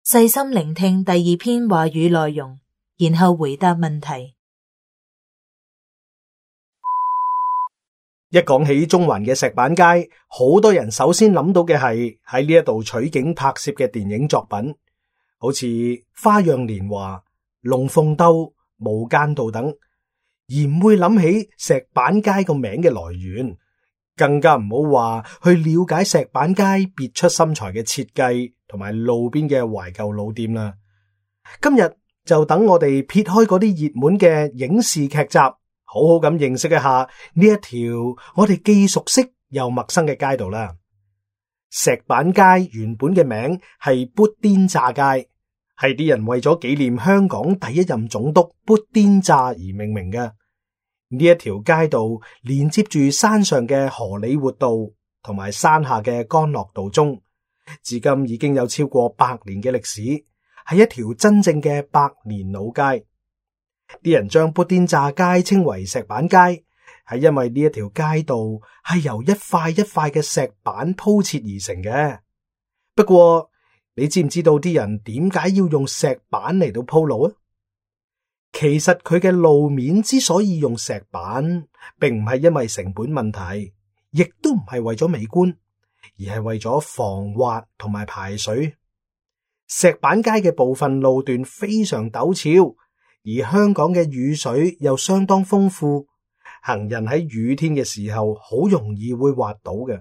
細心聆聽第二篇話語內容，然後回答問題。一講起中環嘅石板街，好多人首先諗到嘅係喺呢一度取景拍攝嘅電影作品，好似《花樣年華》、《龍鳳鬥》、《無間道》等，而唔會諗起石板街個名嘅來源，更加唔好話去了解石板街別出心裁嘅設計同埋路邊嘅懷舊老店啦。今日就等我哋撇開嗰啲熱門嘅影視劇集，好好咁認識一下呢一條我哋既熟悉又陌生嘅街道啦。石板街原本嘅名係砵甸乍街，係啲人為咗紀念香港第一任總督砵甸乍而命名嘅。呢一條街道連接住山上嘅荷里活道同埋山下嘅干諾道中，至今已經有超過100年嘅歷史，係一條真正嘅百年老街。啲人將砵甸乍街稱為石板街，係因為呢一條街道係由一塊一塊嘅石板鋪設而成嘅。不過你知唔知道啲人點解要用石板嚟到鋪路啊？其實佢嘅路面之所以用石板，並唔係因為成本問題，亦都唔係為咗美觀，而係為咗防滑同埋排水。石板街嘅部分路段非常陡峭，而香港嘅雨水又相當豐富，行人喺雨天嘅時候好容易會滑倒嘅。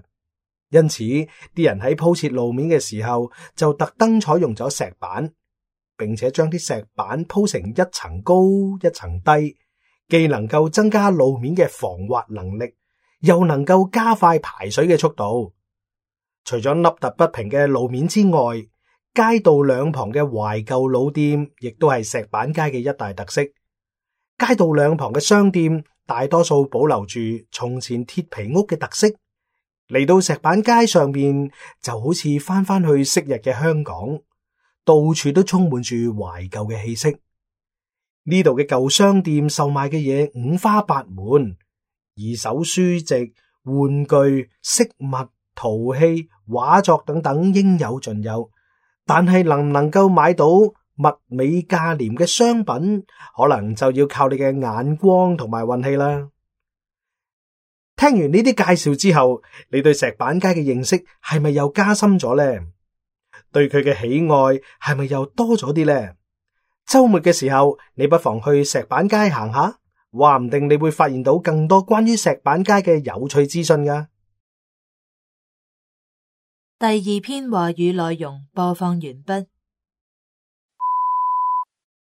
因此，啲人喺鋪設路面嘅時候就特登採用咗石板，並且將啲石板鋪成一層高一層低，既能夠增加路面嘅防滑能力，又能夠加快排水嘅速度。除咗凹凸不平嘅路面之外，街道兩旁嘅懷舊老店亦都係石板街嘅一大特色。街道兩旁嘅商店大多數保留住從前鐵皮屋嘅特色，嚟到石板街上面就好似翻去昔日嘅香港，到處都充滿住懷舊嘅氣息。呢度嘅舊商店售賣嘅嘢五花八門，二手書籍、玩具、飾物、陶器、畫作等等應有盡有。但係能唔能夠買到物美價廉嘅商品，可能就要靠你嘅眼光同埋運氣啦。聽完呢啲介紹之後，你對石板街嘅認識係咪又加深咗呢？對佢嘅喜愛係咪又多咗啲呢？周末嘅時候，你不妨去石板街行下，話唔定你會發現到更多關於石板街嘅有趣資訊㗎。第二篇話語內容播放完畢。